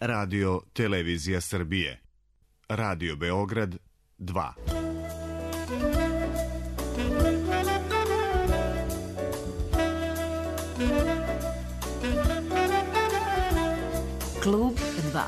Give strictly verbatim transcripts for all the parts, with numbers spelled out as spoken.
Radio Televizija Srbije. Radio Beograd dva. Klub dva.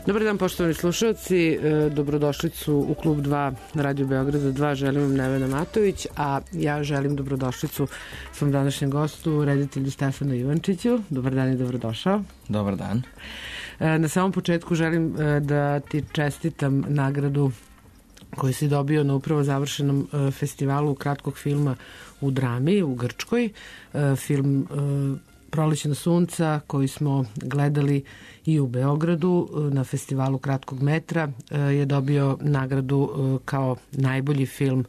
Dobar dan, poštovani slušalci, dobrodošlicu u Klub dva na Radio Beograda dva, želim vam Nevena Matović, a ja želim dobrodošlicu svom današnjem gostu, reditelju Stefanu Ivančiću. Dobar dan i dobrodošao. Dobar dan. Na samom početku želim da ti čestitam nagradu koju si dobio na upravo završenom festivalu kratkog filma u Drami u Grčkoj. Film Prolećna sunca koji smo gledali i u Beogradu na festivalu kratkog metra je dobio nagradu kao najbolji film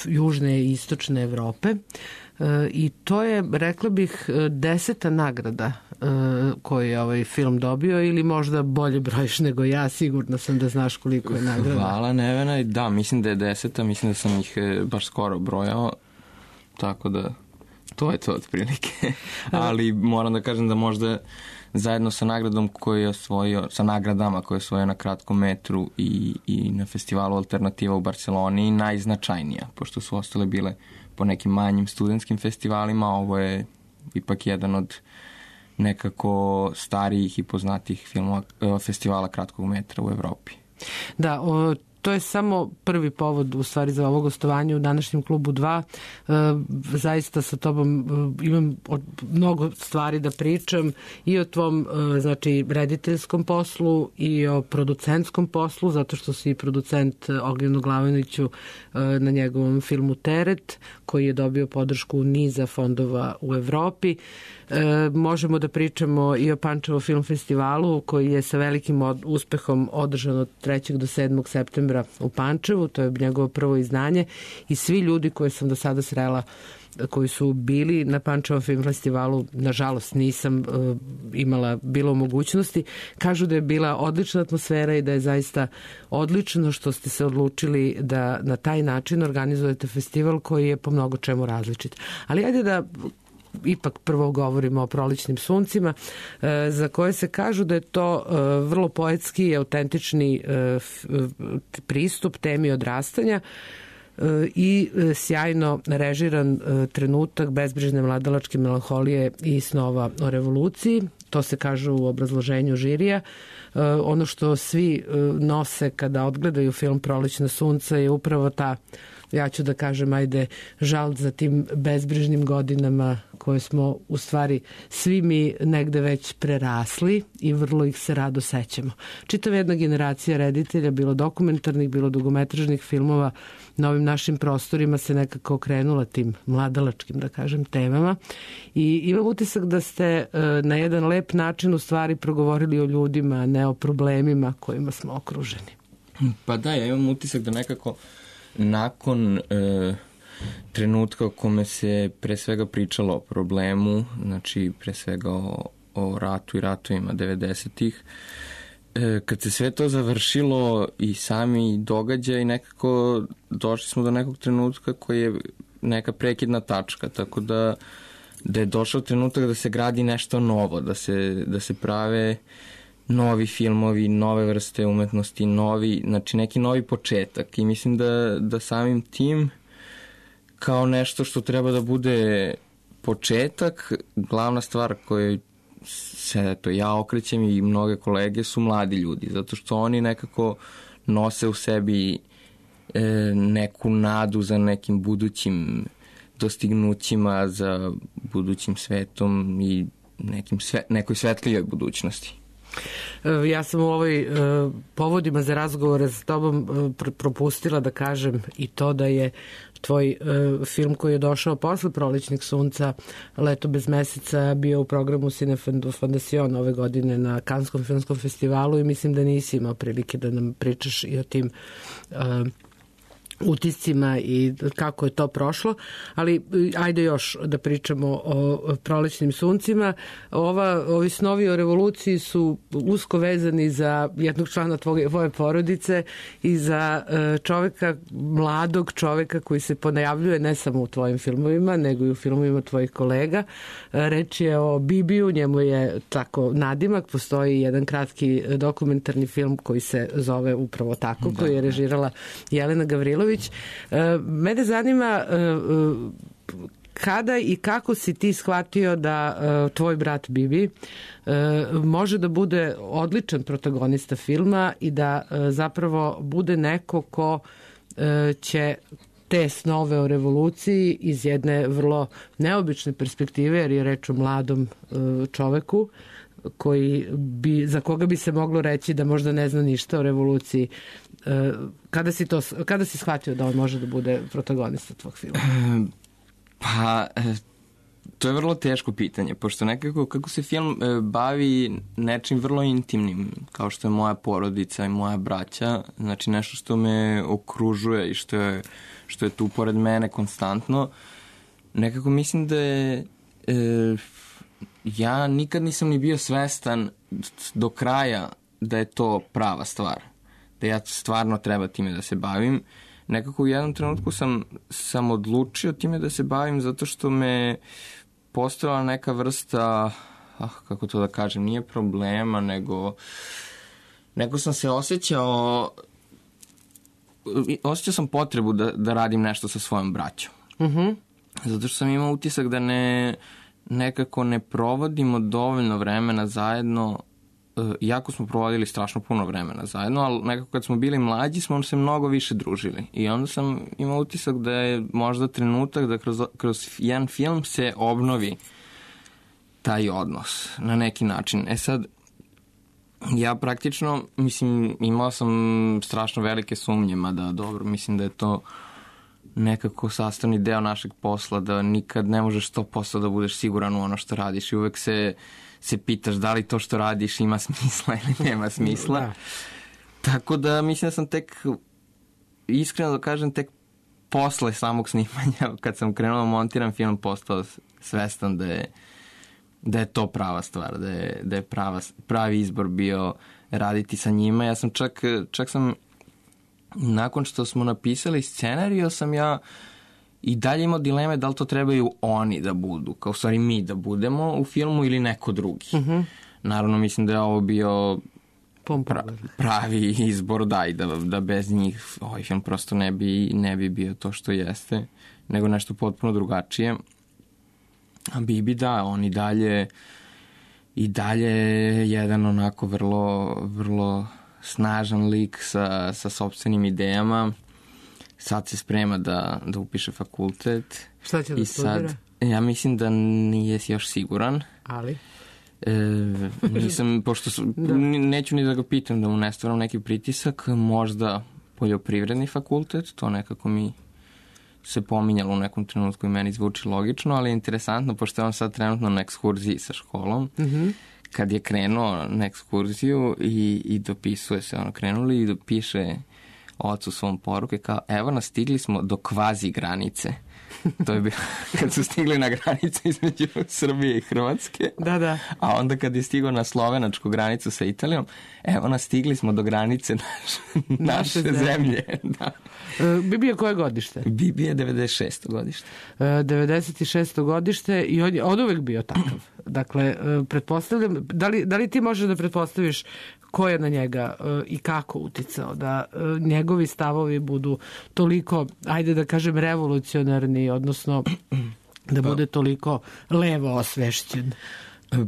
južne i istočne Evrope i to je, rekla bih, deseta nagrada koju je ovaj film dobio, ili možda bolje brojiš nego ja, sigurno sam da znaš koliko je nagrada. Hvala Nevena, da, mislim da je deseta, mislim da sam ih baš skoro brojao, tako da to je to otprilike, ali moram da kažem da možda zajedno sa nagradom koju je osvojio, sa nagradama koje je osvojio na kratkom metru i, i na festivalu Alternativa u Barceloni najznačajnija, pošto su ostale bile po nekim manjim studentskim festivalima, ovo je ipak jedan od nekako starijih i poznatijih filmova, festivala kratkog metra u Evropi. Da, o, to je samo prvi povod u stvari za ovo gostovanje u današnjem Klubu dva. E, zaista sa tobom e, imam od, mnogo stvari da pričam i o tvom e, znači rediteljskom poslu i o producentskom poslu, zato što si producent Ognjenu Glaviniću e, na njegovom filmu Teret, koji je dobio podršku niza fondova u Evropi. E, možemo da pričamo i o Pančevo film festivalu koji je sa velikim od, uspehom održan od trećeg do sedmog septembra u Pančevu, to je njegovo prvo izdanje, i svi ljudi koje sam do sada srela koji su bili na Pančevom film festivalu, nažalost nisam uh, imala bilo mogućnosti, kažu da je bila odlična atmosfera i da je zaista odlično što ste se odlučili da na taj način organizujete festival koji je po mnogo čemu različit. Ali ajde da ipak prvo govorimo o Prolećnim suncima, za koje se kažu da je to vrlo poetski i autentični pristup temi odrastanja i sjajno režiran trenutak bezbrižne mladalačke melanholije i snova o revoluciji. To se kaže u obrazloženju žirija. Ono što svi nose kada odgledaju film Prolećna sunca je upravo ta, ja ću da kažem, ajde, žal za tim bezbrižnim godinama koje smo u stvari svi mi negde već prerasli i vrlo ih se rado sećamo. Čitava jedna generacija reditelja, bilo dokumentarnih, bilo dugometražnih filmova, na ovim našim prostorima se nekako okrenula tim mladalačkim, da kažem, temama i imam utisak da ste na jedan lep način u stvari progovorili o ljudima, a ne o problemima kojima smo okruženi. Pa da, ja imam utisak da nekako nakon e, trenutka u kome se pre svega pričalo o problemu, znači pre svega o, o ratu i ratovima devedesetih, e, kad se sve to završilo i sami događaj, nekako došli smo do nekog trenutka koji je neka prekidna tačka, tako da, da je došao trenutak da se gradi nešto novo, da se, da se prave novi filmovi, nove vrste umetnosti, novi, znači neki novi početak, i mislim da, da samim tim kao nešto što treba da bude početak, glavna stvar koju se to ja okrećem i mnoge kolege su mladi ljudi, zato što oni nekako nose u sebi e, neku nadu za nekim budućim dostignućima, za budućim svetom i nekim sve, nekoj svetlijoj budućnosti. Ja sam u ovoj uh, povodima za razgovore s tobom uh, propustila da kažem i to da je tvoj uh, film koji je došao posle Prolećnih sunca, Leto bez meseca, bio u programu Cine Fondation ove godine na Kanskom filmskom festivalu i mislim da nisi imao prilike da nam pričaš i o tim uh, utiscima i kako je to prošlo, ali ajde još da pričamo o Prolećnim suncima. Ova, ovi snovi o revoluciji su usko vezani za jednog člana tvoje, tvoje porodice i za čoveka, mladog čoveka koji se ponajavljuje ne samo u tvojim filmovima, nego i u filmovima tvojih kolega. Reč je o Bibiju, njemu je tako nadimak, postoji jedan kratki dokumentarni film koji se zove upravo tako, da, koji je režirala Jelena Gavrilović. Mene zanima kada i kako si ti shvatio da tvoj brat Bibi može da bude odličan protagonista filma i da zapravo bude neko ko će te snove o revoluciji iz jedne vrlo neobične perspektive, jer je reč o mladom čoveku koji bi, za koga bi se moglo reći da možda ne zna ništa o revoluciji. Kada si, to, kada si shvatio da on može da bude protagonista tvog filma? Pa, to je vrlo teško pitanje, pošto nekako kako se film bavi nečim vrlo intimnim, kao što je moja porodica i moja braća, znači nešto što me okružuje i što je, što je tu pored mene konstantno, nekako mislim da je... E, ja nikad nisam ni bio svestan do kraja da je to prava stvar. Da ja stvarno treba time da se bavim. Nekako u jednom trenutku sam, sam odlučio time da se bavim zato što me postojala neka vrsta, ah, kako to da kažem, nije problema, nego nego sam se osjećao osjećao sam potrebu da, da radim nešto sa svojom braćom. Mhm. Zato što sam imao utisak da ne nekako ne provodimo dovoljno vremena zajedno, iako smo provodili strašno puno vremena zajedno, ali nekako kad smo bili mlađi smo se mnogo više družili. I onda sam imao utisak da je možda trenutak da kroz, kroz jedan film se obnovi taj odnos na neki način. E sad, ja praktično, mislim, imao sam strašno velike sumnje, mada dobro, mislim da je to nekako sastavni deo našeg posla, da nikad ne možeš sto posto da budeš siguran u ono što radiš i uvek se, se pitaš da li to što radiš ima smisla ili nema smisla. Da. Tako da mislim da sam tek, iskreno da kažem, tek posle samog snimanja, kad sam krenuo da montiram film, postao svestan da je, da je to prava stvar, da je, da je prava, pravi izbor bio raditi sa njima. Ja sam čak, čak sam nakon što smo napisali scenariju, sam ja i dalje imao dileme da li to trebaju oni da budu, kao stvari mi da budemo u filmu ili neko drugi. Uh-huh. Naravno, mislim da je ovo bio pra, pravi izbor, da, i da, da bez njih ovaj film prosto ne bi, ne bi bio to što jeste, nego nešto potpuno drugačije. A Bibi, da, on i dalje i dalje jedan onako vrlo, vrlo snažan lik sa, sa sopstvenim idejama. Sad se sprema da, da upiše fakultet. Šta će da studira? Ja mislim da nije još siguran. Ali? E, nisam, pošto su, da. Neću ni da ga pitam da mu ne stvaram neki pritisak, možda poljoprivredni fakultet, to nekako mi se pominjalo u nekom trenutku i meni zvuči logično, ali je interesantno, pošto je on sad trenutno na ekskurziji sa školom. Mhm. Kad je krenuo na ekskurziju i, i dopisuje se, ono, krenuli i dopiše ocu svom poruke kao, evo nas, stigli smo do kvazi granice. To je bilo kad su stigli na granice između Srbije i Hrvatske. Da, da. A onda kad je stigao na slovenačku granicu sa Italijom, evo nas, stigli smo do granice naš, naše zemlje. zemlje. Da. E, Bibi je koje godište? Bibi je devedeset šesto godište. E, devedeset šesto godište i on je od uvek bio takav. Dakle, e, pretpostavljam, da li, da li ti možeš da pretpostaviš ko je na njega e, i kako uticao da e, njegovi stavovi budu toliko, ajde da kažem, revolucionarni, odnosno da bude toliko levo osvešćen?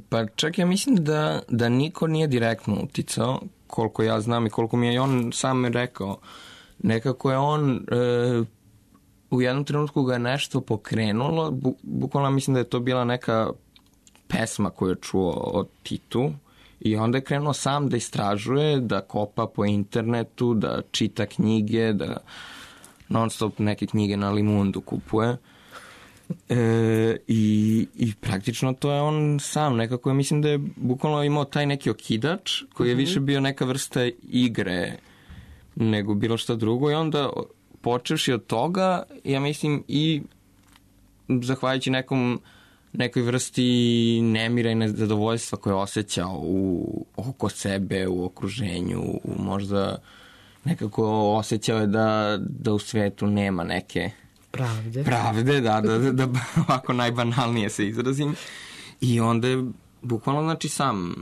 Pa čak ja mislim da, da niko nije direktno uticao, koliko ja znam i koliko mi je on sam rekao. Nekako je on e, u jednom trenutku ga je nešto pokrenulo, bu, bukvalno mislim da je to bila neka pesma koju je čuo od Titu I onda je krenuo sam da istražuje, da kopa po internetu, da čita knjige, da non stop neke knjige na Limundu kupuje. E, i, I praktično to je on sam nekako, ja mislim da je bukvalno imao taj neki okidač koji je više bio neka vrsta igre nego bilo šta drugo i onda počevši od toga, ja mislim i zahvaljujući nekom nekoj vrsti nemira i nezadovoljstva koje je osjećao u, oko sebe, u okruženju, u možda nekako osjećao je da, da u svetu nema neke pravde, pravde da, da, da, da ovako najbanalnije se izrazim. I onda je bukvalno znači sam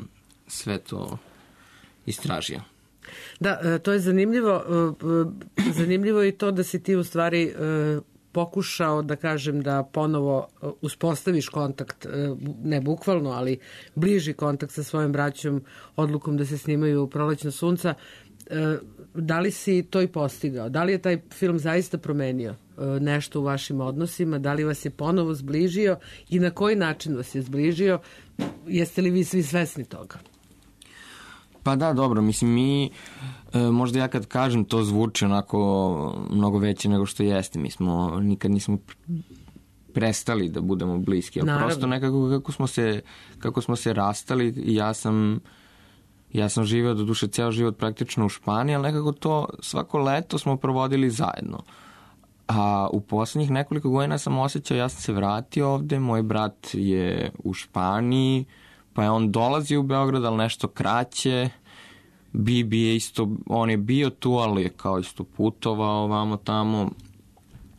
sve to istražio. Da, to je zanimljivo. Zanimljivo je i to da si ti u stvari pokušao, da kažem, da ponovo uspostaviš kontakt, ne bukvalno, ali bliži kontakt sa svojim braćom odlukom da se snimaju Prolećna sunca. Da li si to i postigao? Da li je taj film zaista promenio nešto u vašim odnosima? Da li vas je ponovo zbližio i na koji način vas je zbližio? Jeste li vi svi svesni toga? Pa da, dobro, mislim mi, e, možda ja kad kažem to zvuči onako mnogo veće nego što jeste, mi smo, nikad nismo prestali da budemo bliski, ali naravno, prosto nekako kako smo se, kako smo se rastali, ja sam, ja sam živeo do duše ceo život praktično u Španiji, ali nekako to svako leto smo provodili zajedno. A u poslednjih nekoliko godina sam osjećao, ja sam se vratio ovde, moj brat je u Španiji, pa je on dolazio u Beograd, ali nešto kraće. Bibi je isto, on je bio tu, ali je kao isto putovao ovamo tamo.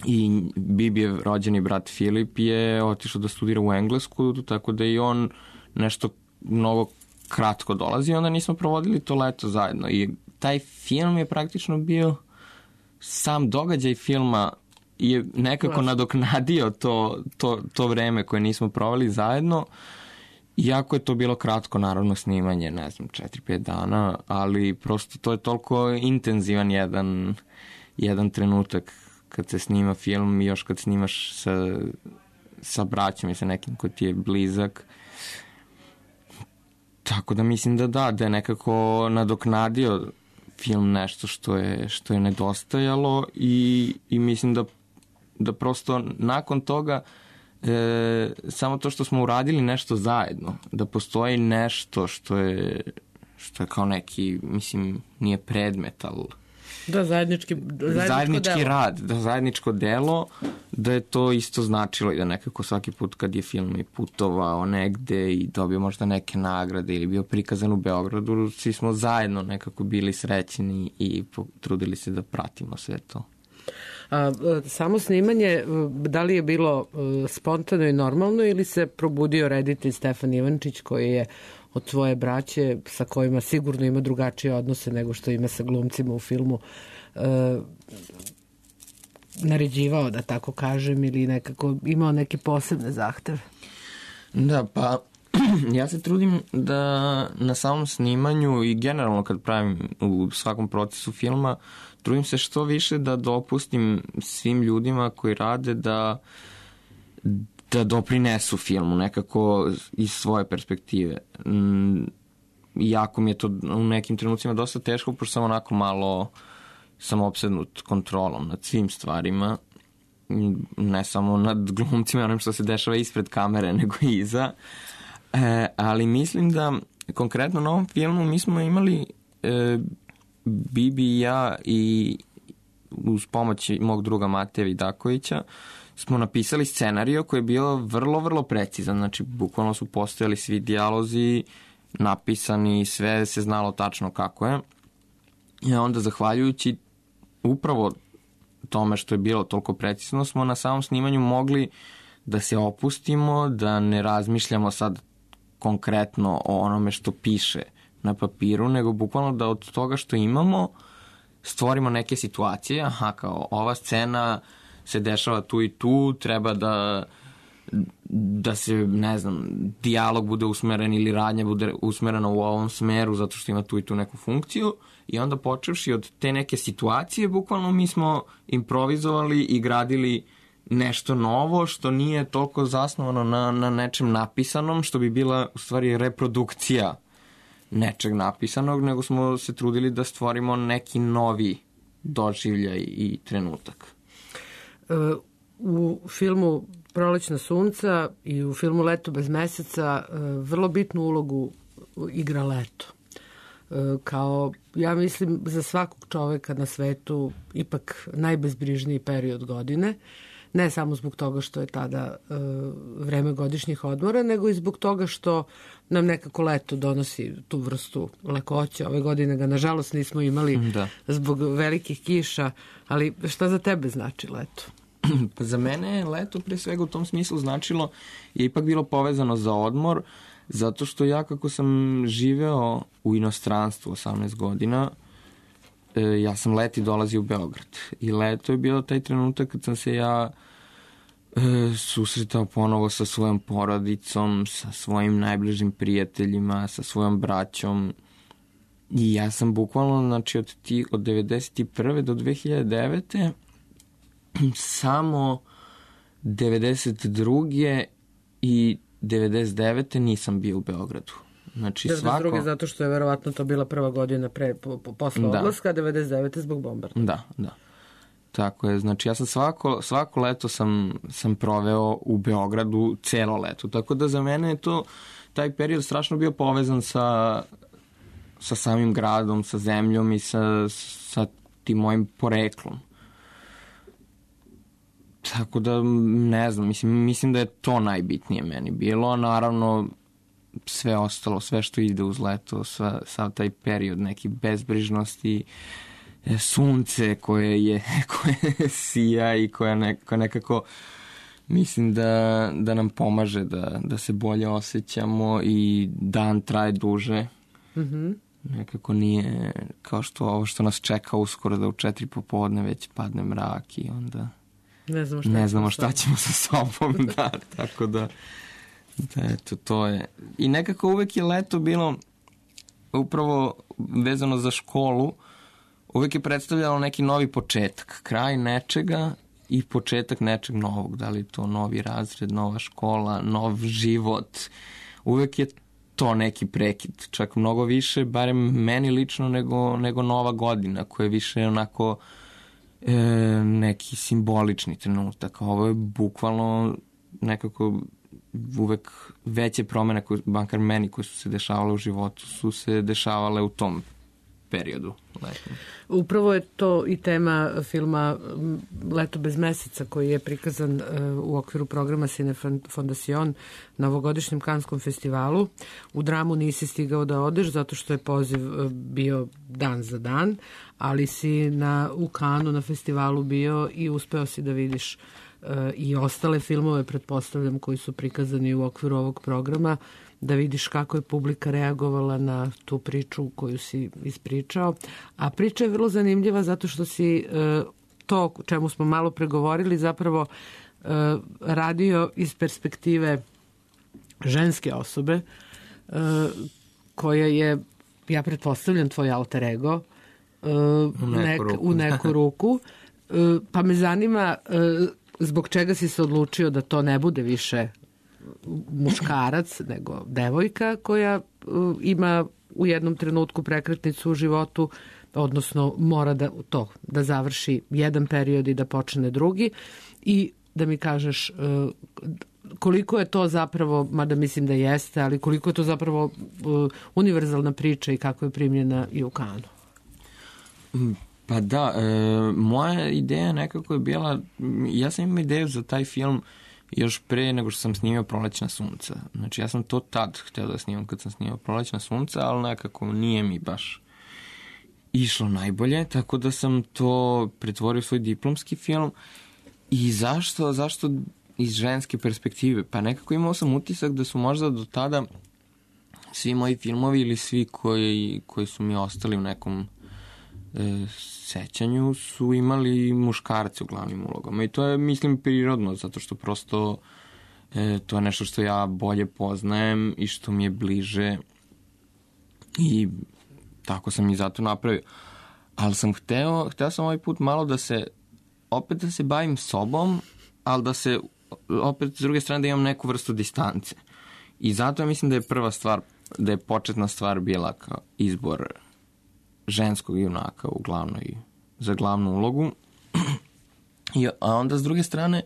I Bibi je rođeni brat Filip je otišao da studira u Englesku, tako da i on nešto mnogo kratko dolazi. Onda nismo provodili to leto zajedno. I taj film je praktično bio, sam događaj filma je nekako Vlaš. nadoknadio to, to, to vreme koje nismo proveli zajedno. Iako je to bilo kratko, naravno, snimanje, ne znam, četiri pet dana, ali prosto to je toliko intenzivan jedan, jedan trenutak kad se snima film i još kad snimaš sa, sa braćom i sa nekim ko ti je blizak. Tako da mislim da da, da je nekako nadoknadio film nešto što je, što je nedostajalo i, i mislim da, da prosto nakon toga E, samo to što smo uradili nešto zajedno, da postoji nešto što je što je kao neki, mislim, nije predmet, ali da, zajednički, zajednički delo. rad, da zajedničko delo, da je to isto značilo i da nekako svaki put kad je film i putovao negde i dobio možda neke nagrade ili bio prikazan u Beogradu, svi smo zajedno nekako bili srećni i trudili se da pratimo sve to. A, samo snimanje, da li je bilo spontano i normalno ili se probudio reditelj Stefan Ivančić koji je od svoje braće sa kojima sigurno ima drugačije odnose nego što ima sa glumcima u filmu e, naređivao, da tako kažem, ili nekako imao neke posebne zahteve? Da, pa ja se trudim da na samom snimanju i generalno kad pravim u svakom procesu filma, trudim se što više da dopustim svim ljudima koji rade da, da doprinesu filmu nekako iz svoje perspektive. Iako mi je to u nekim trenucima dosta teško, pošto sam onako malo sam opsednut kontrolom nad svim stvarima, ne samo nad glumcima, onim što se dešava ispred kamere, nego i iza. E, ali mislim da konkretno na ovom filmu mi smo imali e, Bibi i ja i uz pomoć mog druga Mateja Vidakovića smo napisali scenario koji je bio vrlo, vrlo precizan. Znači, bukvalno su postojali svi dijalozi napisani, sve se znalo tačno kako je. I onda, zahvaljujući upravo tome što je bilo toliko precizno, smo na samom snimanju mogli da se opustimo, da ne razmišljamo sad konkretno o onome što piše na papiru, nego bukvalno da od toga što imamo stvorimo neke situacije, aha, kao ova scena se dešava tu i tu, treba da da se, ne znam, dijalog bude usmeren ili radnja bude usmerena u ovom smeru zato što ima tu i tu neku funkciju i onda počevši od te neke situacije, bukvalno mi smo improvizovali i gradili nešto novo što nije toliko zasnovano na, na nečem napisanom, što bi bila u stvari reprodukcija nečeg napisanog, nego smo se trudili da stvorimo neki novi doživljaj i trenutak. U filmu Prolećna sunca i u filmu Leto bez meseca vrlo bitnu ulogu igra leto. Kao, ja mislim, za svakog čoveka na svetu ipak najbezbrižniji period godine. Ne samo zbog toga što je tada e, vreme godišnjih odmora, nego i zbog toga što nam nekako leto donosi tu vrstu lakoće. Ove godine ga, nažalost, nismo imali da. Zbog velikih kiša, ali šta za tebe znači leto? Pa za mene je leto pre svega u tom smislu značilo, je ipak bilo povezano za odmor, zato što ja kako sam živeo u inostranstvu osamnaest godina, ja sam leti dolazio u Beograd. I leto je bilo taj trenutak kad sam se ja e, susretao ponovo sa svojom porodicom, sa svojim najbližim prijateljima, sa svojom braćom. I ja sam bukvalno, znači, od, ti, od devedeset prve do dve hiljade devete samo devedeset druge i devedeset devete nisam bio u Beogradu. Znači, devedeset druge svako... zato što je verovatno to bila prva godina pre, po, po, posle da. Odlaska, a devedeset devete zbog bombardovanja. Da, da. Tako je, znači ja sam svako, svako leto sam, sam proveo u Beogradu celo leto. Tako da za mene je to, taj period strašno bio povezan sa, sa samim gradom, sa zemljom i sa, sa tim mojim poreklom. Tako da, ne znam, mislim, mislim da je to najbitnije meni bilo, a naravno sve ostalo, sve što ide uz leto, sva, sav taj period neki bezbrižnosti, sunce koje je koje sija i koja nekako, nekako mislim da, da nam pomaže da, da se bolje osjećamo i dan traje duže. Mm-hmm. Nekako nije kao što ovo što nas čeka uskoro da u četiri popodne već padne mrak i onda ne znamo šta, ne znamo šta ćemo sa sobom. Da, tako da Da, eto, to je. I nekako uvek je leto bilo upravo vezano za školu, uvek je predstavljalo neki novi početak, kraj nečega i početak nečeg novog, da li to novi razred, nova škola, nov život. Uvek je to neki prekid, čak mnogo više, barem meni lično, nego, nego nova godina, koja je više onako e, neki simbolični trenutak. Ovo je bukvalno nekako uvek veće promene, koje, bankar meni, koje su se dešavale u životu, su se dešavale u tom periodu letnom. Upravo je to i tema filma Leto bez meseca, koji je prikazan u okviru programa Cine Fondacion na ovogodišnjem Kanskom festivalu. U dramu nisi stigao da odeš zato što je poziv bio dan za dan, ali si na, u Kanu na festivalu bio i uspeo si da vidiš i ostale filmove, pretpostavljam, koji su prikazani u okviru ovog programa, da vidiš kako je publika reagovala na tu priču koju si ispričao. A priča je vrlo zanimljiva zato što si to o čemu smo malo pregovorili zapravo radio iz perspektive ženske osobe koja je, ja pretpostavljam, tvoj alter ego u neku ruku, u neku ruku. Pa me zanima zbog čega si se odlučio da to ne bude više muškarac, nego devojka koja uh, ima u jednom trenutku prekretnicu u životu, odnosno mora da to da završi jedan period i da počne drugi, i da mi kažeš uh, koliko je to zapravo, mada mislim da jeste, ali koliko je to zapravo uh, univerzalna priča i kako je primljena i u Kanu. Pa da, e, moja ideja nekako je bila, ja sam imao ideju za taj film još pre nego što sam snimio Prolećna sunca. Znači ja sam to tad hteo da snimam kad sam snimao Prolećna sunca, ali nekako nije mi baš išlo najbolje, tako da sam to pretvorio u svoj diplomski film. I zašto? Zašto iz ženske perspektive? Pa nekako imao sam utisak da su možda do tada svi moji filmovi ili svi koji, koji su mi ostali u nekom e, sećanju su imali muškarce u glavnim ulogama. I to je, mislim, prirodno, zato što prosto e, to je nešto što ja bolje poznajem i što mi je bliže i tako sam i zato napravio. Ali sam hteo, hteo sam ovaj put malo da se, opet da se bavim sobom, ali da se, opet s druge strane da imam neku vrstu distance. I zato ja mislim da je prva stvar da je početna stvar bila kao izbor ženskog junaka u glavnoj, za glavnu ulogu. I, a onda s druge strane,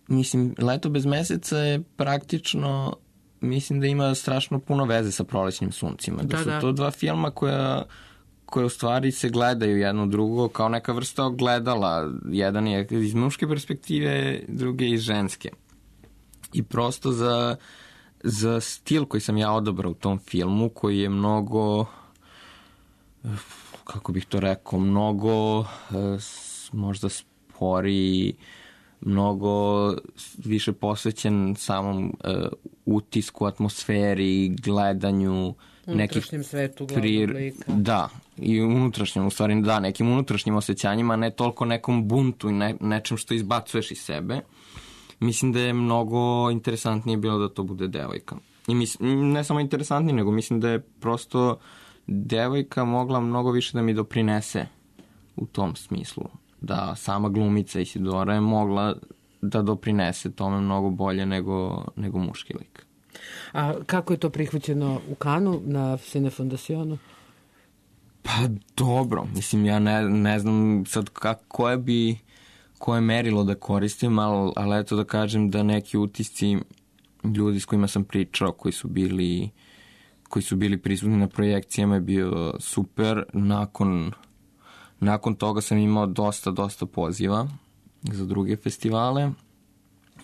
mislim, Leto bez meseca je praktično, mislim da ima strašno puno veze sa Prolećnim suncima. Da, da su da. to dva filma koja, koje u stvari se gledaju jedno drugo kao neka vrsta ogledala. Jedan je iz muške perspektive, drugi iz ženske. I prosto za, za stil koji sam ja odabrao u tom filmu, koji je mnogo, kako bih to rekao, mnogo možda sporiji, mnogo više posvećen samom uh, utisku, atmosferi, gledanju unutrašnjem nekih svetu glavnog lika. Da, i unutrašnjem, u stvari da, nekim unutrašnjim osjećanjima, ne toliko nekom buntu i ne, nečem što izbacuješ iz sebe. Mislim da je mnogo interesantnije bilo da to bude devojka. I mislim, ne samo interesantnije, nego mislim da je prosto devojka mogla mnogo više da mi doprinese u tom smislu. Da sama glumica Isidora je mogla da doprinese tome mnogo bolje nego, nego muški lik. A kako je to prihvaćeno u Kanu na Cinefondacionu? Pa dobro, mislim ja ne, ne znam sad kako, koje bi koje merilo da koristim, ali, ali eto da kažem da neki utisci ljudi s kojima sam pričao, koji su bili koji su bili prisutni na projekcijama je bio super. Nakon Nakon toga sam imao dosta, dosta poziva za druge festivale.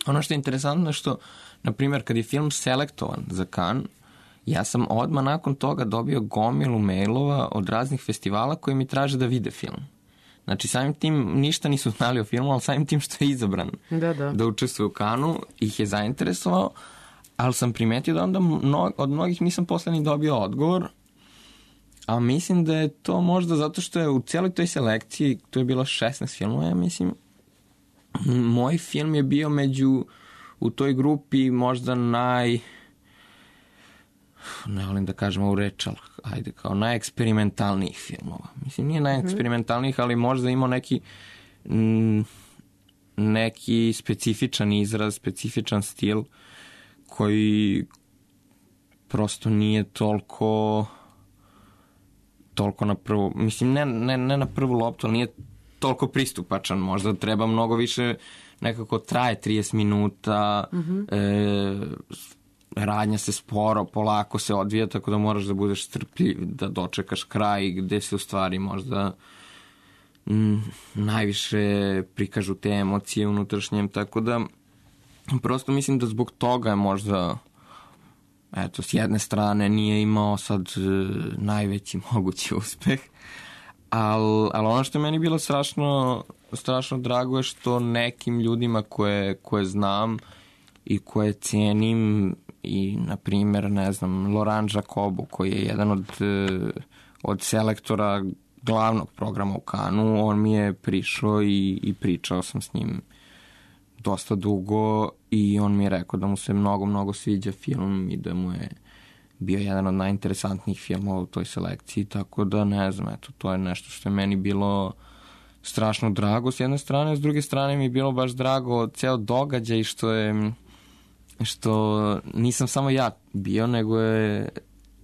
Ono što je interesantno je što, na primjer, kad je film selektovan za Cannes, ja sam odmah nakon toga dobio gomilu mailova od raznih festivala koji mi traže da vide film. Znači, samim tim ništa nisu znali o filmu, ali samim tim što je izabran da, da. da učestvuje u Cannesu, ih je zainteresovao, ali sam primetio da onda mno, od mnogih nisam posle ni dobio odgovor. A mislim da je to možda zato što je u cijeloj toj selekciji, to je bilo šesnaest filmova, ja mislim, moj film je bio među, u toj grupi možda naj, ne volim da kažem ovu reč, ali ajde, kao najeksperimentalnijih filmova. Mislim, nije najeksperimentalnijih, ali možda imao neki, m, neki specifičan izraz, specifičan stil, koji prosto nije toliko... toliko na prvu, mislim ne, ne, ne na prvu loptu, ali nije toliko pristupačan, možda treba mnogo više, nekako traje trideset minuta, mm-hmm. e, radnja se sporo, polako se odvija, tako da moraš da budeš strpljiv, da dočekaš kraj gde se u stvari možda m, najviše prikažu te emocije unutrašnjem, tako da prosto mislim da zbog toga je možda eto, s jedne strane nije imao sad e, najveći mogući uspeh, ali al ono što je meni bilo strašno, strašno drago je što nekim ljudima koje, koje znam i koje cijenim i, na primjer, ne znam, Laurent Jacobu, koji je jedan od, od selektora glavnog programa u Cannesu, on mi je prišao i, i pričao sam s njim dosta dugo i on mi je rekao da mu se mnogo, mnogo sviđa film i da mu je bio jedan od najinteresantnijih filmova u toj selekciji, tako da ne znam, eto, to je nešto što je meni bilo strašno drago s jedne strane, s druge strane mi je bilo baš drago ceo događaj što je, što nisam samo ja bio, nego je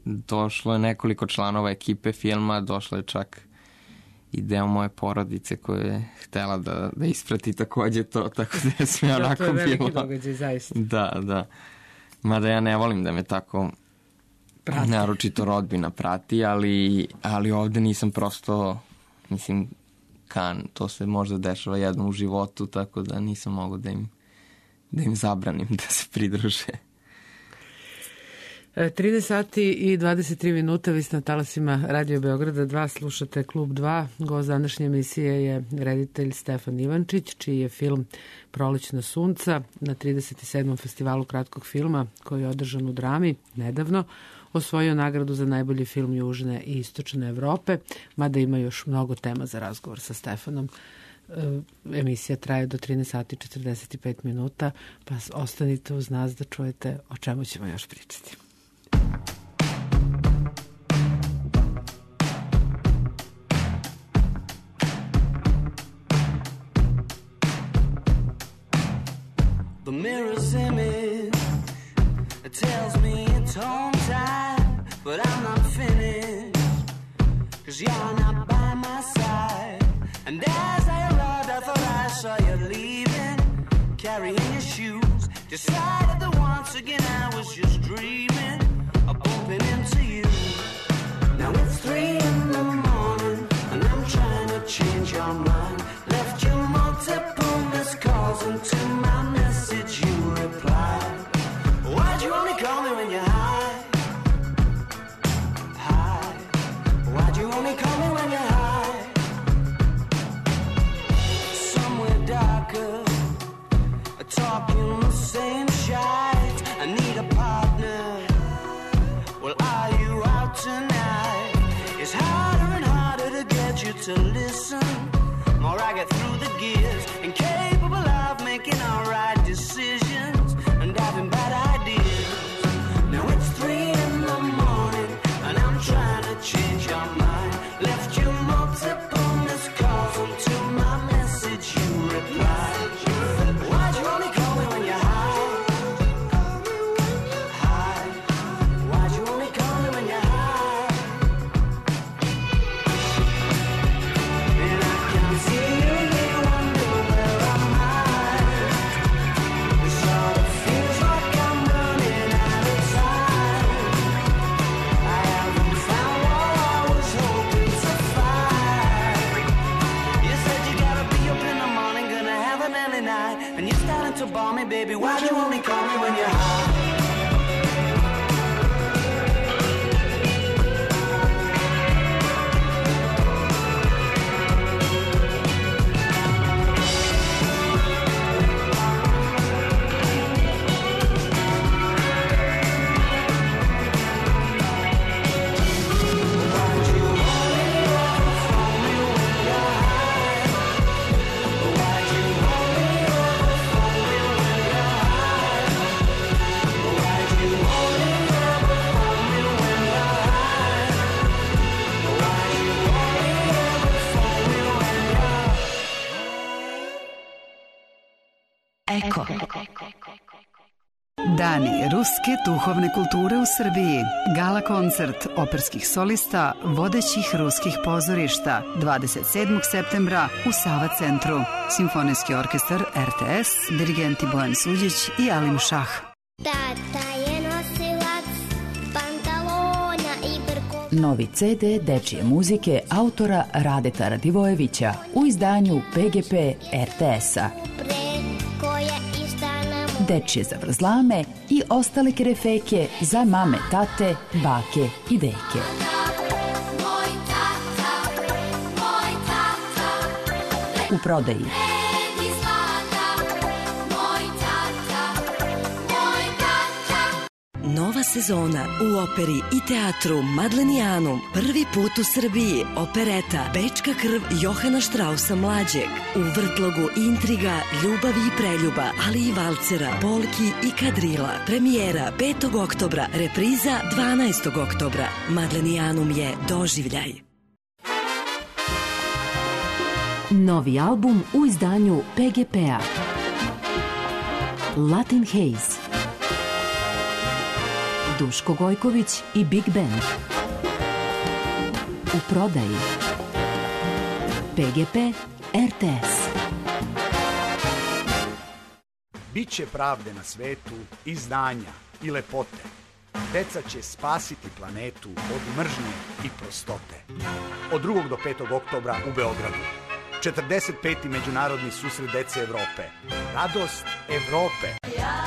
došlo je nekoliko članova ekipe filma, došlo je čak i deo moje porodice koja je htela da, da isprati takođe to, tako da sam ja onako bilo. To je veliki bilo... događaj, zaista. Da, da. Mada ja ne volim da me tako prati. Naročito rodbina prati, ali, ali ovde nisam prosto, mislim, kan, to se možda dešava jednom u životu, tako da nisam mogao da im, da im zabranim da se pridruže. trinaest sati i dvadeset tri minuta, vi ste na talasima Radio Beograda dva, slušate Klub dva. Gost današnje emisije je reditelj Stefan Ivančić, čiji je film Prolećna sunca na trideset sedmom festivalu kratkog filma, koji je održan u Drami nedavno, osvojio nagradu za najbolji film Južne i Istočne Evrope, mada ima još mnogo tema za razgovor sa Stefanom. Emisija traje do trinaest sati i četrdeset pet minuta, pa ostanite uz nas da čujete o čemu ćemo još pričati. The mirror's image, it tells me it's home time. but I'm not finished, 'cause you're not by my side. And as I arrived, I thought I saw you leaving, carrying your shoes. Decided that once again I was just dreaming of bumping into you. Now it's three in the morning, and I'm trying to change your mind. Left you multiple missed calls, and to my message you replied. Why'd you only call me when you're high? High. Why'd you only call me when you're high? Somewhere darker, talking the same shite. I need a partner. Well, are you out tonight? It's harder and harder to get you to listen. More I get through the gears, incapable of making all right decisions and having bad ideas. Now it's three in the morning, and I'm trying to change your mind. Left you multiple missed calls, and to my message you replied. Why'd you only call me when you're high? High. Why'd you only call me when you're high? And I can see you, you wonder where I'm at. It sort of feels like I'm running out of time. I haven't found what I was hoping to find. You said you gotta be up in the morning, gonna have an early night, and you're starting to bore me, baby. Why'd you only call me when you're high? Eko. Dani ruske duhovne kulture u Srbiji. Gala koncert operskih solista vodećih ruskih pozorišta dvadeset sedmog septembra u Sava centru. Simfonijski orkestar R T S, dirigenti Bojan Suđić i Alim Šah. Tata je nosilac pantalona i brko. Novi ce de dečije muzike autora Radeta Radivojevića u izdanju P G P R T S-a. Dečije zavrzlame i ostale kerefeke za mame, tate, bake i deke. U prodaji. Nova sezona u operi i teatru Madlenijanum. Prvi put u Srbiji opereta Bečka krv Johana Štrausa mlađeg. U vrtlogu intriga, ljubavi i preljuba, ali i valcera, polki i kadrila. Premijera petog oktobra, repriza dvanaestog oktobra. Madlenijanum je doživljaj. Novi album u izdanju P G P-a. Latin Haze. Duško Gojković i Big Band. U prodaji. P G P R T S. Biće pravde na svetu i znanja i lepote. Deca će spasiti planetu od mržnje i prostote. Od drugog do petog oktobra u Beogradu. četrdeset peti Međunarodni susret dece Evrope. Radost Evrope. Ja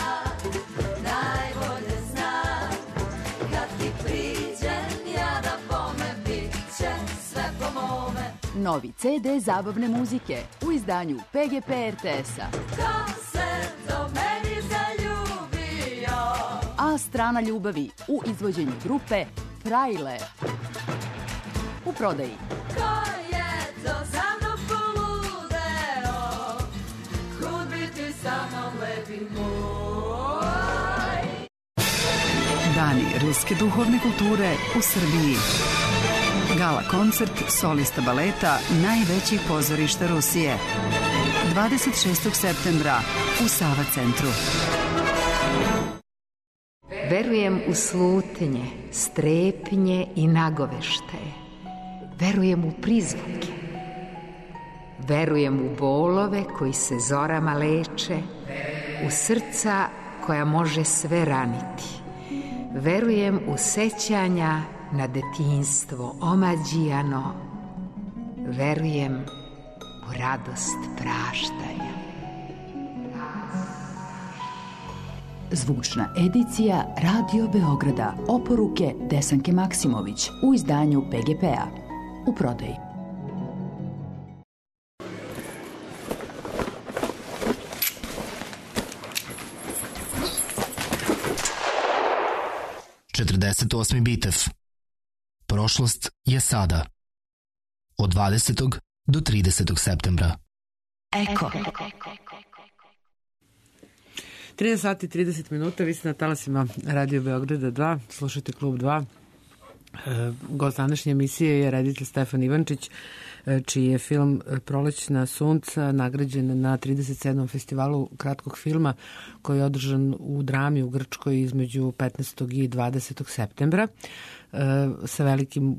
najbolje znam, kad ti priđem, ja da bome, bit će sve po mome. Novi ce de zabavne muzike u izdanju P G P R T S-a. Ko se do meni zaljubio? A strana ljubavi u izvođenju grupe Frajle. U prodaji. Ko je to za mnom poludeo? Kud bi ti sa mnom lepi moj? Dani ruske duhovne kulture u Srbiji. Gala koncert solista baleta najvećih pozorišta Rusije. dvadeset šestog septembra u Sava centru. Verujem u slutnje, strepnje i nagoveštaje. Verujem u prizvuke. Verujem u bolove koji se zorama leče, u srca koja može sve raniti. Verujem u sećanja na detinjstvo omađijano. Verujem u radost praštanja. Zvučna edicija Radio Beograda. Oporuke Desanke Maksimović u izdanju P G P-a. U prodaji. četrdeset osmi Bitev. Prošlost je sada. Od dvadesetog do tridesetog septembra. Eko. trinaest sati i trideset minuta, vi ste na talasima Radio Beograda dva, slušajte Klub dva. E, gost današnje emisije je reditelj Stefan Ivančić, e, čiji je film Prolećna sunca nagrađen na trideset sedmom festivalu kratkog filma koji je održan u Drami u Grčkoj između petnaestog i dvadesetog septembra. E, sa velikim e,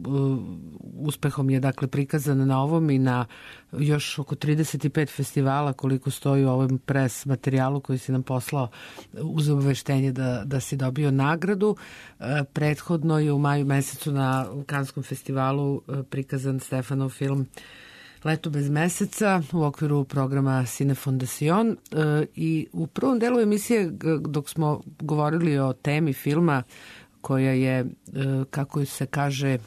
uspehom je dakle prikazan na ovom i na još oko trideset pet festivala koliko stoji u ovom pres materijalu koji si nam poslao uz obaveštenje da, da si dobio nagradu. E, prethodno je u maju mesecu na Kanskom festivalu e, prikazan Stefanov film Leto bez meseca u okviru programa Cine Fondacion. E, i u prvom delu emisije dok smo govorili o temi filma koja je, kako se kaže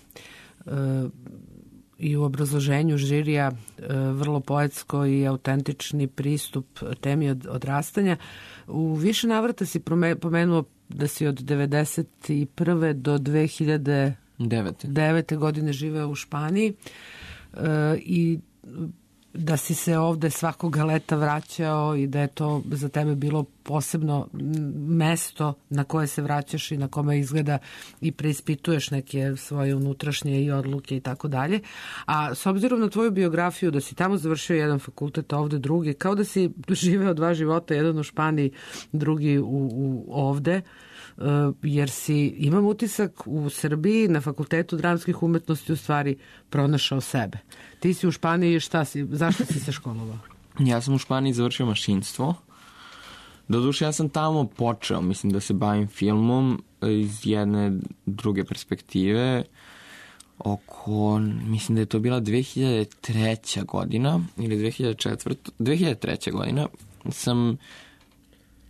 i u obrazloženju žirija, vrlo poetsko i autentični pristup temi od, odrastanja. U više navrata si pomenuo da si od devedeset prve do dve hiljade devete godine živeo u Španiji i da si se ovde svakoga leta vraćao i da je to za tebe bilo posebno mesto na koje se vraćaš i na kome izgleda i preispituješ neke svoje unutrašnje i odluke i tako dalje. A s obzirom na tvoju biografiju da si tamo završio jedan fakultet, a ovde drugi, kao da si živeo dva života, jedan u Španiji, drugi u, u ovde, jer si, imam utisak, u Srbiji na Fakultetu dramskih umetnosti u stvari pronašao sebe. Ti si u Španiji, šta si, zašto si se školovao? Ja sam u Španiji završio mašinstvo. Doduše, ja sam tamo počeo, mislim, da se bavim filmom iz jedne druge perspektive. Oko, mislim da je to bila dve hiljade treća godina ili dve hiljade četvrta. dve hiljade treća godina sam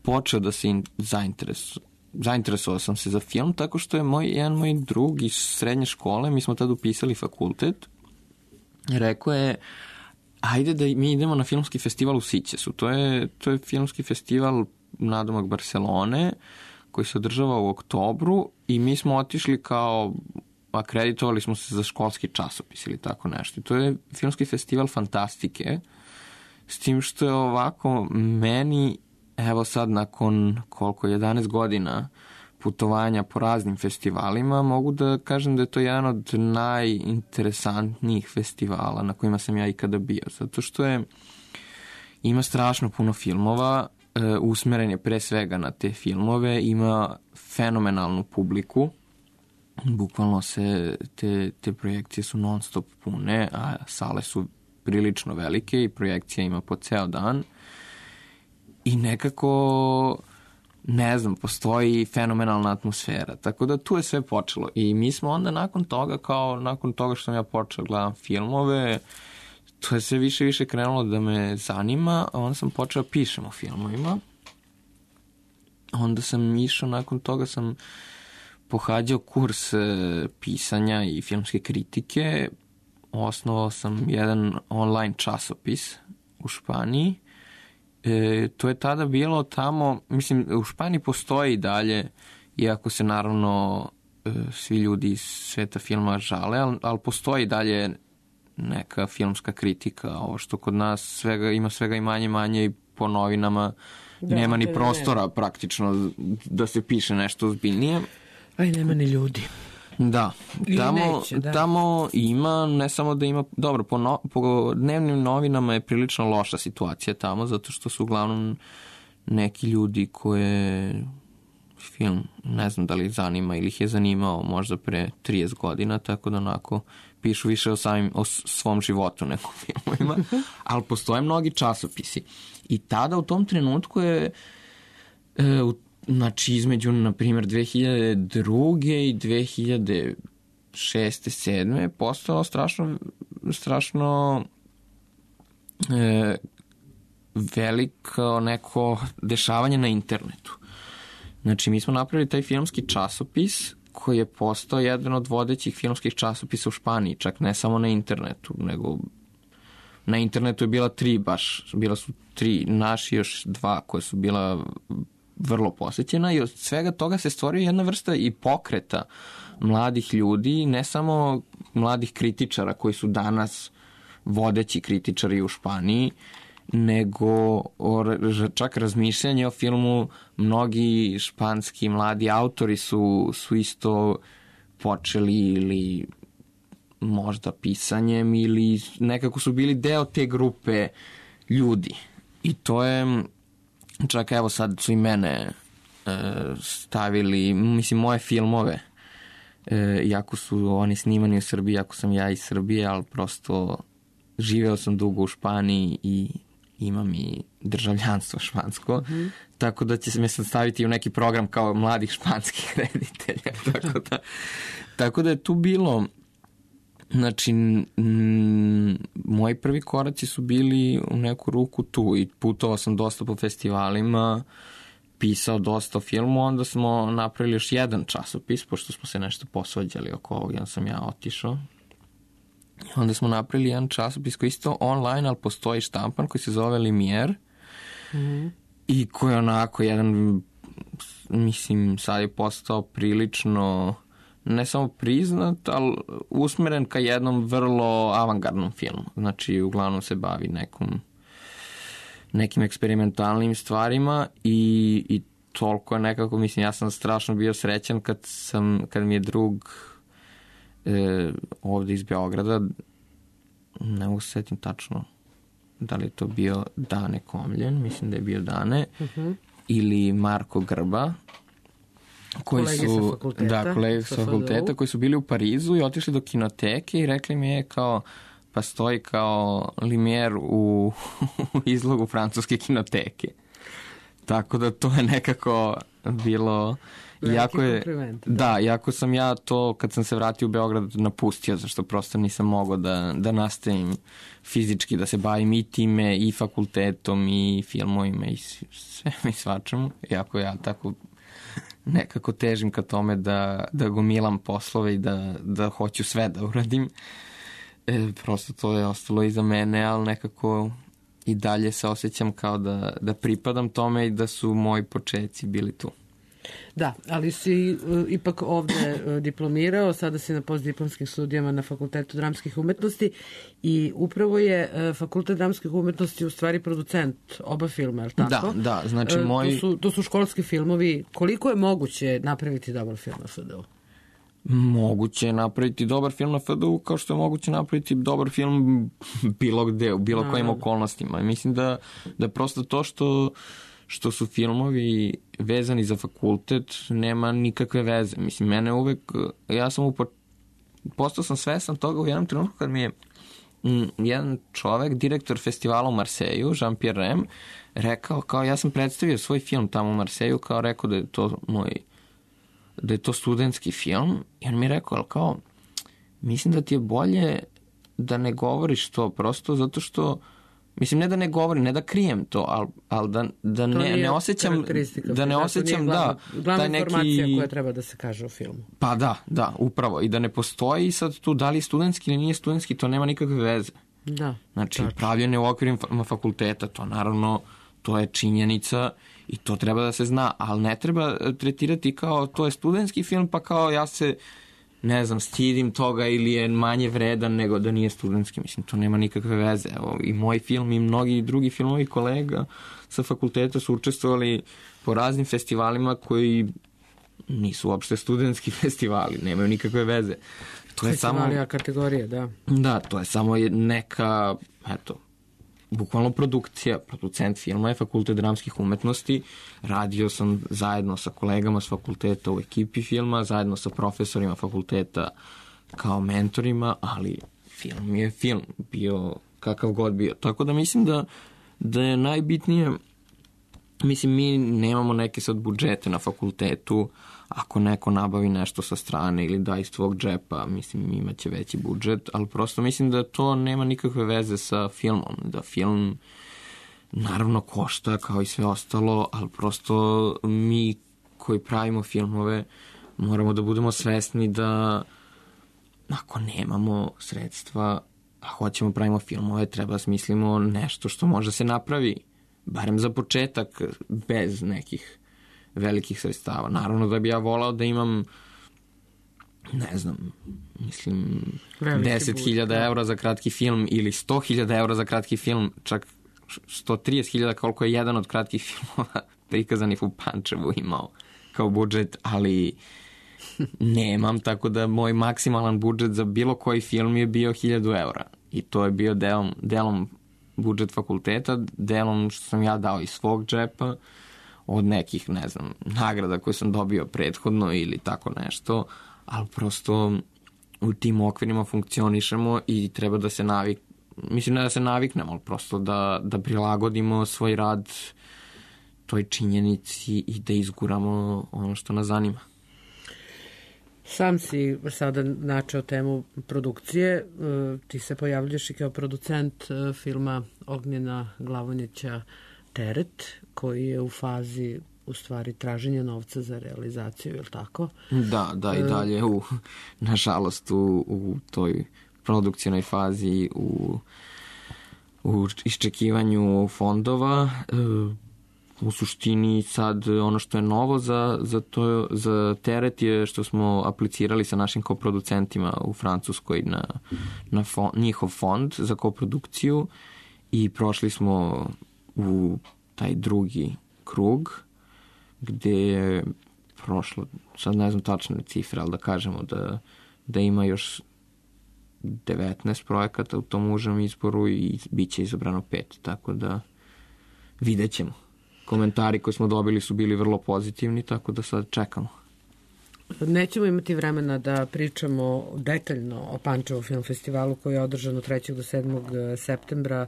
počeo da se zainteresujem. Zainteresovao sam se za film tako što je moj, jedan moj drug iz srednje škole, mi smo tada upisali fakultet, rekao je, ajde da mi idemo na filmski festival u Sićesu. To je, to je filmski festival nadomak Barcelone koji se održava u oktobru i mi smo otišli kao, akreditovali smo se za školski časopis ili tako nešto. To je filmski festival fantastike, s tim što je ovako meni, evo sad nakon koliko, jedanaest godina putovanja po raznim festivalima, mogu da kažem da je to jedan od najinteresantnijih festivala na kojima sam ja ikada bio. Zato što je, ima strašno puno filmova, e, usmeren je pre svega na te filmove, ima fenomenalnu publiku, bukvalno se te, te projekcije su non stop pune, a sale su prilično velike i projekcija ima po ceo dan. I nekako, ne znam, postoji fenomenalna atmosfera. Tako da tu je sve počelo. I mi smo onda nakon toga, kao nakon toga što sam ja počeo gledam filmove, to je sve više i više krenulo da me zanima, a onda sam počeo pišem o filmovima. Onda sam išao, nakon toga sam pohađao kurs pisanja i filmske kritike. Osnovao sam jedan online časopis u Španiji. E, to je tada bilo tamo, mislim, u Španiji postoji i dalje, iako se naravno e, svi ljudi iz sveta filma žale, ali, ali postoji dalje neka filmska kritika, ovo što kod nas svega, ima svega i manje manje i po novinama da, nema ni prostora ne. praktično da se piše nešto ozbiljnije. A i nema ni ljudi. Da, tamo, neće, da. tamo ima, ne samo da ima, dobro, po, no, po dnevnim novinama je prilično loša situacija tamo, zato što su uglavnom neki ljudi koje film, ne znam da li zanima ili ih je zanimao možda pre trideset godina, tako da onako pišu više o, samim, o svom životu nego filmovima, ali postoje mnogi časopisi. I tada u tom trenutku je e, u, znači između, na primjer, dve hiljade druge i dve hiljade šeste, sedme je postalo strašno, strašno e, veliko neko dešavanje na internetu. Znači, mi smo napravili taj filmski časopis koji je postao jedan od vodećih filmskih časopisa u Španiji, čak ne samo na internetu, nego na internetu je bila tri baš, bila su tri, naši još dva koje su bila vrlo posjećena i od svega toga se stvorio jedna vrsta i pokreta mladih ljudi, ne samo mladih kritičara koji su danas vodeći kritičari u Španiji, nego o, čak razmišljanje o filmu. Mnogi španski mladi autori su, su isto počeli ili možda pisanjem ili nekako su bili deo te grupe ljudi. I to je, čak evo sad su i mene e, stavili, mislim moje filmove, e, iako su oni snimani u Srbiji, iako sam ja iz Srbije, ali prosto živeo sam dugo u Španiji i imam i državljanstvo špansko, mm-hmm. tako da će se me sad staviti u neki program kao mladih španskih reditelja. tako, da, tako da je tu bilo, znači, m, moji prvi koraci su bili u neku ruku tu i putovao sam dosta po festivalima, pisao dosta o filmu, onda smo napravili još jedan časopis, pošto smo se nešto posvađali oko ovog, jedan sam ja otišao. Onda smo napravili jedan časopis koji isto online, ali postoji štampan koji se zove Limier mm-hmm. i koji je onako jedan, mislim, sad je postao prilično ne samo priznat, ali usmeren ka jednom vrlo avangardnom filmu. Znači, uglavnom se bavi nekom nekim eksperimentalnim stvarima i, i toliko je nekako, mislim, ja sam strašno bio srećan kad, sam, kad mi je drug E, ovde iz Beograda, ne mogu se setim tačno da li je to bio Dane Komljen, mislim da je bio Dane, uh-huh. ili Marko Grba, koji kolege su, sa fakulteta, da, kolege sa fakulteta, koji su bili u Parizu i otišli do kinoteke i rekli mi je kao, pa stoji kao Limier u, u izlogu francuske kinoteke. Tako da to je nekako bilo... Iako je, da, iako sam ja to, kad sam se vratio u Beograd, napustio, zašto prosto nisam mogao da, da nastavim fizički, da se bavim i time, i fakultetom, i filmovima, i sve i svačemu. Iako ja tako nekako težim ka tome da, da gomilam poslove i da, da hoću sve da uradim. E, prosto to je ostalo iza mene, ali nekako i dalje se osjećam kao da, da pripadam tome i da su moji početci bili tu. Da, ali si uh, ipak ovde uh, diplomirao, sada si na postdiplomskim studijama na Fakultetu dramskih umetnosti i upravo je uh, Fakultet dramskih umetnosti u stvari producent oba filma, je li tako? Da, da, znači uh, moji... To su, to su školski filmovi. Koliko je moguće napraviti dobar film na F D U? Moguće je napraviti dobar film na F D U kao što je moguće napraviti dobar film bilo gde, u bilo kojim okolnostima. Mislim da, da prosto to što što su filmovi vezani za fakultet, nema nikakve veze. Mislim, mene uvek, ja sam upo, postao sam svestan toga u jednom trenutku kad mi je m, jedan čovek, direktor festivala u Marseju, Jean-Pierre Rem, rekao, kao ja sam predstavio svoj film tamo u Marseju, kao rekao da je to moj, da je to studentski film, i on mi je rekao, ali kao, mislim da ti je bolje da ne govoriš to, prosto zato što mislim, ne da ne govorim, ne da krijem to, ali, ali da, da ne, ne osjećam, da ne osjećam, da, glavna neki... informacija koja treba da se kaže o filmu. Pa da, da, upravo. I da ne postoji sad tu da li je studentski ili nije studentski, to nema nikakve veze. Da. Znači, tačno. Pravljene u okvirima fakulteta, to naravno, to je činjenica i to treba da se zna, ali ne treba tretirati kao to je studentski film, pa kao ja se ne znam, stidim toga ili je manje vredan nego da nije studentski. Mislim, to nema nikakve veze. Evo, i moj film i mnogi drugi filmovi kolega sa fakulteta su učestvovali po raznim festivalima koji nisu uopšte studentski festivali, nemaju nikakve veze. To je samo kategorija, da. Da, to je samo neka, eto, bukvalno produkcija, producent filma je Fakultet dramskih umetnosti. Radio sam zajedno sa kolegama s fakulteta u ekipi filma, zajedno sa profesorima fakulteta kao mentorima, ali film je film, bio kakav god bio. Tako da mislim da, da je najbitnije, mislim, mi nemamo neke sad budžete na fakultetu, ako neko nabavi nešto sa strane ili da iz tvog džepa, mislim, imaće veći budžet, ali prosto mislim da to nema nikakve veze sa filmom, da film naravno košta kao i sve ostalo, ali prosto mi koji pravimo filmove moramo da budemo svesni da ako nemamo sredstva, a hoćemo pravimo filmove, treba smislimo nešto što može se napravi, barem za početak, bez nekih velikih sredstava. Naravno da bi ja volao da imam, ne znam, mislim, deset hiljada eura za kratki film ili sto hiljada eura za kratki film, čak sto trideset hiljada koliko je jedan od kratkih filmova prikazanih u Pančevu imao kao budžet, ali nemam, tako da moj maksimalan budžet za bilo koji film je bio hiljadu eura i to je bio delom, delom budžet fakulteta, delom što sam ja dao iz svog džepa, od nekih, ne znam, nagrada koje sam dobio prethodno ili tako nešto, ali prosto u tim okvirima funkcionišemo i treba da se navik, mislim ne da se naviknemo, ali prosto da, da prilagodimo svoj rad toj činjenici i da izguramo ono što nas zanima. Sam si sada načeo temu produkcije, ti se pojavljaš i kao producent filma Ognjena Glavonjića Teret, koji je u fazi u stvari traženja novca za realizaciju, je li tako? Da, da, i dalje u, nažalost u, u toj produkcijnoj fazi, u, u iščekivanju fondova. U suštini sad ono što je novo za, za, to, za Teret je što smo aplicirali sa našim koproducentima u Francuskoj na, na fond, njihov fond za koprodukciju i prošli smo u taj drugi krug gde je prošlo, sad ne znam tačne cifre, ali da kažemo da, da ima još devetnaest projekata u tom užem izboru i bit će izabrano pet, tako da vidjet ćemo. Komentari koje smo dobili su bili vrlo pozitivni, tako da sad čekamo. Nećemo imati vremena da pričamo detaljno o Pančevu film festivalu koji je održan od trećeg do sedmog septembra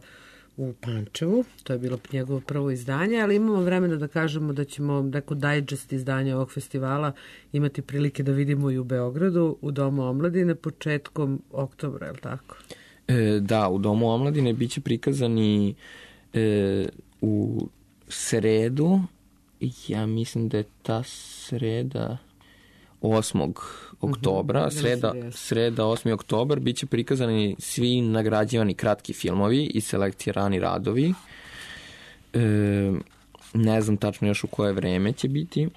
u Pančevu. To je bilo njegovo prvo izdanje, ali imamo vremena da kažemo da ćemo neko digest izdanja ovog festivala imati prilike da vidimo i u Beogradu, u Domu omladine početkom oktobra, je li tako? E, da, u Domu omladine bit će prikazani e, u sredu, ja mislim da je ta sreda osmog oktobra, sreda, sreda osmi oktobar, bit će prikazani svi nagrađivani kratki filmovi i selektirani radovi. E, ne znam tačno još u koje vreme će biti.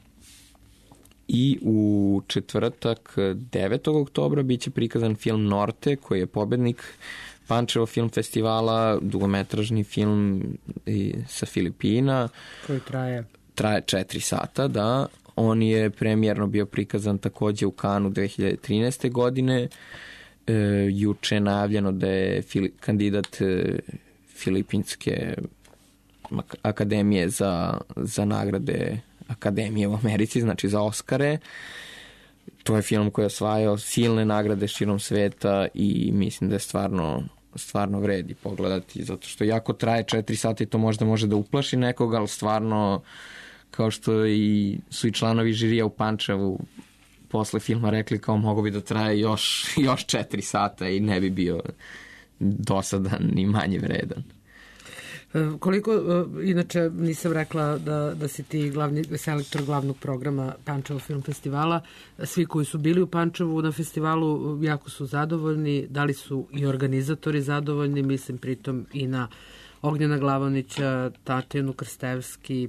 I u četvrtak devetog oktobra bit će prikazan film Norte, koji je pobednik Pančevo film festivala, dugometražni film sa Filipina. Koji traje? Traje četiri sata, da. On je premijerno bio prikazan takođe u Kanu dve hiljade trinaeste. godine. E, juče je najavljeno da je fili, kandidat e, Filipinske akademije za, za nagrade akademije u Americi, znači za Oskare. To je film koji je osvajao silne nagrade širom sveta i mislim da je stvarno, stvarno vredi pogledati, zato što jako traje četiri sata i to možda može da uplaši nekoga, ali stvarno, kao što i su i članovi žirija u Pančevu posle filma rekli kao mogo bi da traje još, još četiri sata i ne bi bio dosadan ni manje vredan. Koliko, inače nisam rekla da, da si ti glavni selektor glavnog programa Pančevo film festivala, svi koji su bili u Pančevu na festivalu jako su zadovoljni, da li su i organizatori zadovoljni, mislim pritom i na Ognjena Glavonića, Tatjanu Krstevski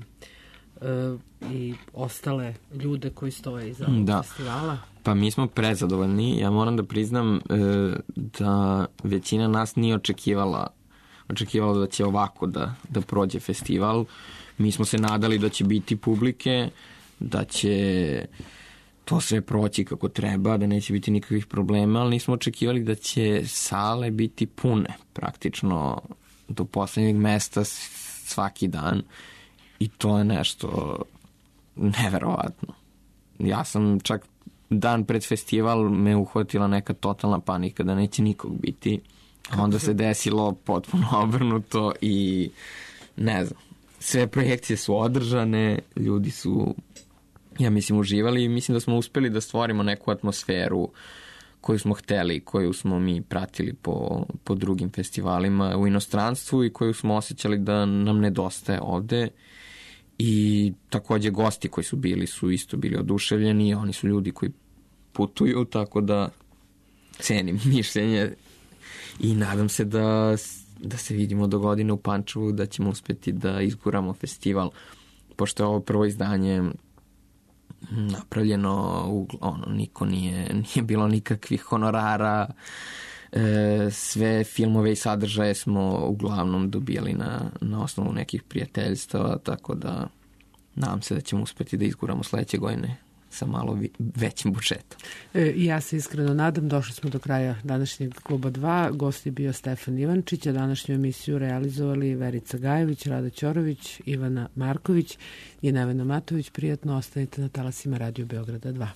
e, i ostale ljude koji stoje iza ovog da. festivala. Pa mi smo prezadovoljni, ja moram da priznam e, da većina nas nije očekivala očekivalo da će ovako da, da prođe festival. Mi smo se nadali da će biti publike, da će to sve proći kako treba, da neće biti nikakvih problema, ali nismo očekivali da će sale biti pune. Praktično do poslednjeg mesta svaki dan i to je nešto neverovatno. Ja sam čak dan pred festival me uhvatila neka totalna panika da neće nikog biti, a onda se desilo potpuno obrnuto i ne znam, sve projekcije su održane, ljudi su, ja mislim, uživali i mislim da smo uspeli da stvorimo neku atmosferu koju smo hteli, koju smo mi pratili po, po drugim festivalima u inostranstvu i koju smo osjećali da nam nedostaje ovde. I takođe gosti koji su bili su isto bili oduševljeni, oni su ljudi koji putuju, tako da cenim mišljenje i nadam se da, da se vidimo do godine u Pančevu, da ćemo uspeti da izguramo festival, pošto je ovo prvo izdanje napravljeno, ono, niko nije, nije bilo nikakvih honorara, e, sve filmove i sadržaje smo uglavnom dobijali na, na osnovu nekih prijateljstava, tako da nadam se da ćemo uspeti da izguramo sledeće godine sa malo većim budžetom. E, ja se iskreno nadam, došli smo do kraja današnjeg Kluba dva, gost je bio Stefan Ivančić, a današnju emisiju realizovali Verica Gajević, Rada Ćorović, Ivana Marković i Nevena Matović. Prijatno, ostanite na talasima Radio Beograda dva.